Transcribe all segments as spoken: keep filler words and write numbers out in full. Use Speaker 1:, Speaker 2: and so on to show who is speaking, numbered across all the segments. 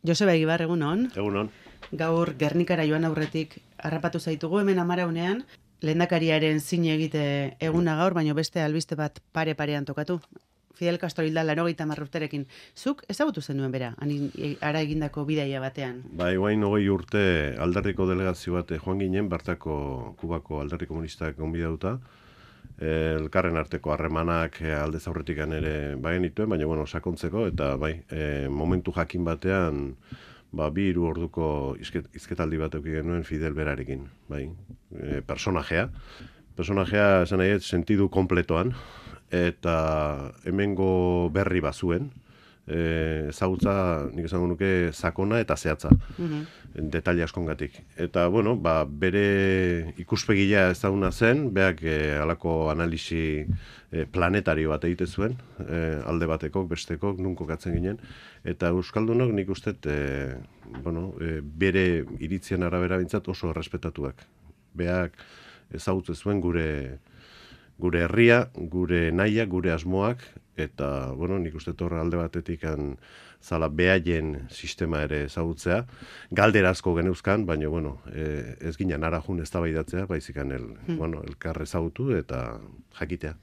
Speaker 1: Joseba Egibar, egunon.
Speaker 2: Egunon.
Speaker 1: Gaur Gernikara joan aurretik harrapatu zaitugu hemen amaraunean, lehendakariaren zine egite eguna gaur, baino beste albiste bat pare-parean tokatu. Fidel Castro hilda laurogeita hamar urterekin. Zuk ezagutu zenuen bera, ara egindako bidaia batean?
Speaker 2: Bai, guain hogei urte alderriko delegazio bat joan ginen, bertako Kubako alderri komunistak gonbidatuta. Elkarren arteko harremanak aldez aurretik ere bagen dituen, baina bueno, sakontzeko, eta bai, e, momentu jakin batean, ba, bi hiru orduko izket, izketaldi bat eduki genuen Fidel berarekin, bai, e, personajea. Personajea, esan nahi, sentidu kompletoan, eta hemengo berri bazuen, e, ezautza, nik esango nuke, sakona eta zehatza, mm-hmm. detaile askongatik. Eta, bueno, ba, bere ikuspegia ezaguna zen, beak e, alako analisi e, planetario bat egite zuen, e, alde batekok, bestekok, nun kokatzen ginen, eta Euskaldunok nik uste, e, bueno, e, bere iritzien arabera bintzat oso errespetatuak. Beak ezagutze zuen gure gure herria, gure naia, gure asmoak, eta, bueno, nik uste torre alde batetik zala behaien sistema ere ezagutzea. Galdera asko geneuzkan, baina, bueno, e, ez ginen arajun eztabaidatzea, baizikan el, hmm. bueno, elkar ezagutu eta jakitea.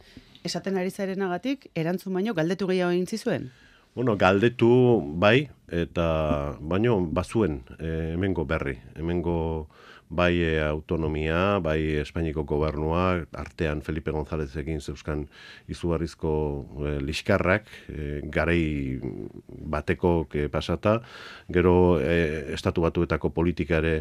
Speaker 1: Esaten ari zarenagatik, erantzun baino, galdetu gehiago egin zizuen?
Speaker 2: Bueno, galdetu bai, eta baino bazuen e, hemengo berri, hemengo bai e, autonomia, bai Espainiko gobernua, artean Felipe Gonzálezekin zeuzkan izugarrizko e, liskarrak, e, garai bateko e, pasata, gero e, estatu batuetako politikare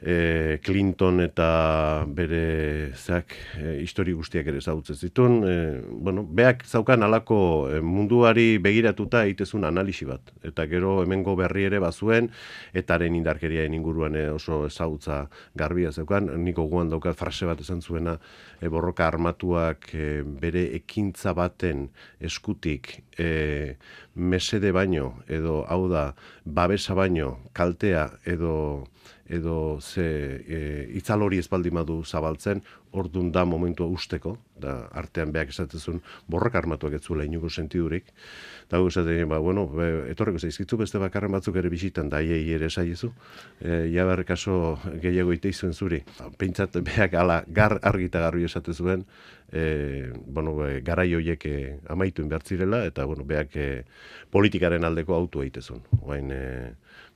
Speaker 2: e, Clinton eta bere zeak e, histori guztiak ere ezagutzen zituen. E, bueno, beak zaukan alako e, munduari begiratuta egitezun analisi bat. Eta gero hemengo berri ere bazuen, etaren indarkeriaen inguruan e, oso ezagutza garbia zeukan. Niko guan daukat frase bat esan zuena, e, borroka armatuak e, bere ekintza baten eskutik e, mesede baino, edo hau da, babesa baino, kaltea edo edo ze e, itzal hori espaldi madu zabaltzen, ordun da momentua usteko, da artean beak esatezun borroka armatuak ez zuela inuko sentidurik, eta gu esaten, ba, bueno, be, etorreko zaizkitzu beste bakarren batzuk ere bisitan, da iei ere esaiezu, e, jabar kaso gehiago iteizuen zuri. Pentsat beak ala gar argita garbi esate zuen, e, bueno, be, garai horiek e, amaituen behartzirela, eta bueno, beak e, politikaren aldeko autua itezun, oain e,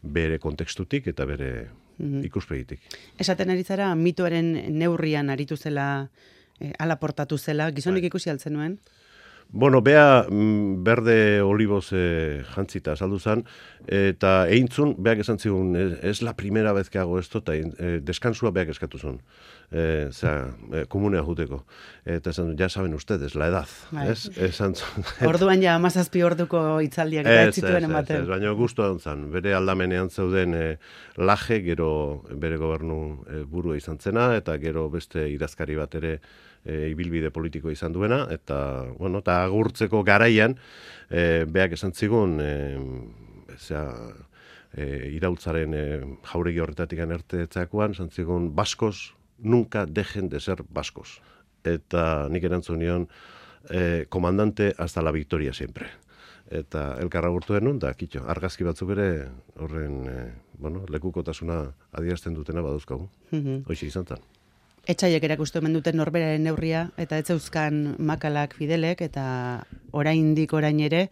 Speaker 2: bere kontekstutik eta bere ikuspegitik.
Speaker 1: Esaten ari zara, mitoaren neurrian aritu zela, eh, ala portatu zela, gizonik ikusi altzen nuen?
Speaker 2: Bueno, bea berde oliboz eh, jantzita saldu zen, eta eintzun, beak esan zigun, ez la primera vez que hago esto, eta eh, deskansua beak eskatu zuen, eh, zera, eh, komunea juteko. Eta esan, ja saben ustedes, la edad. Ez? Esan zuen.
Speaker 1: Orduan ja, amazazpi orduko itzaldiak eta ez zituen ematen.
Speaker 2: Ez, ez, baina gustu zen, bere aldamenean zeuden eh, laje, gero bere gobernu eh, burua izan zena, eta gero beste idazkari bat ere E, ibilbide politiko izan duena, eta, bueno, eta agurtzeko garaian, e, beak esan zigun, e, zera, e, irautzaren e, jauregi horretatik anertetzakoan, esan zigun, baskos nunca dejen de ser baskos. Eta nik erantzun nion, e, komandante hasta la victoria siempre. Eta elkarra gurtu denun, da, kitxo, argazki batzuk ere horren, e, bueno, lekukotasuna adierazten dutena baduzkagu. Mm-hmm. Hoxe izan zen.
Speaker 1: Etxaiek erakustu hemen duten norberaren neurria, eta ez zeuzkan makalak Fidelek, eta oraindik orain ere,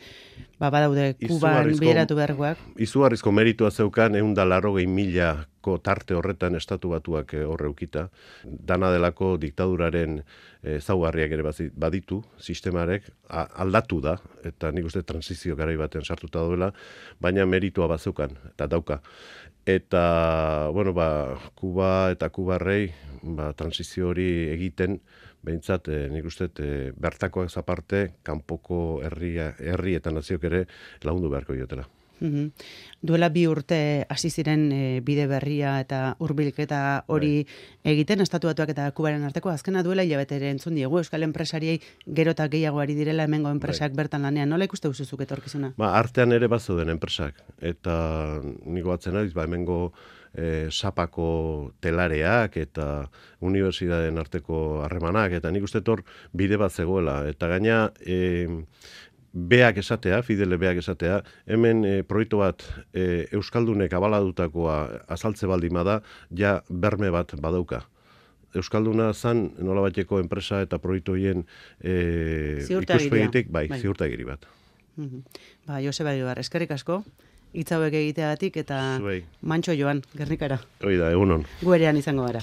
Speaker 1: ba, badaude Kuban bideratu beharkoak.
Speaker 2: Izugarrizko meritua zeukan, ehun eta laurogei milako tarte horretan estatu batuak horre ukita. Dana delako diktaduraren ezaugarriak ere baditu, sistemarek aldatu da, eta nik uste transizio garai batean sartuta duela, baina meritua bazeukan, eta dauka. Eta, bueno, ba, Kuba eta Kubarrei, ba, transizio hori egiten, behintzat, eh, nik uste, eh, bertakoak zaparte, kanpoko herria, herri eta naziok ere lagundu beharko diotela.
Speaker 1: Mm-hmm. Duela bi urte hasi ziren e, bide berria eta hurbilketa hori bai. Egiten, estatu batuak eta Kubaren arteko, azkena duela hilabete entzun diegu, euskal enpresariei gero eta gehiago ari direla hemengo enpresak bai. Bertan lanean, nola ikuste uzuzuk etorkizuna?
Speaker 2: Ba, artean ere bazeuden enpresak, eta niko batzen ariz, ba, hemengo e, sapako telareak eta unibertsitateen arteko harremanak, eta nik uste tor bide bat zegoela, eta gaina e, beak esatea, Fidele beak esatea, hemen e, proiektu bat e, Euskaldunek abaladutakoa azaltze baldin bada, ja berme bat badauka. Euskalduna zan nolabaiteko enpresa eta proiektu horien e, ikuspegitik, bai, bai. Ziurtagiri bat.
Speaker 1: Mm-hmm. Ba, Joseba Egibar, eskerrik asko, hitz hauek egiteagatik eta Zuei. Mantxo joan, Gernikara.
Speaker 2: Hoi da, egunon.
Speaker 1: Guerean izango gara.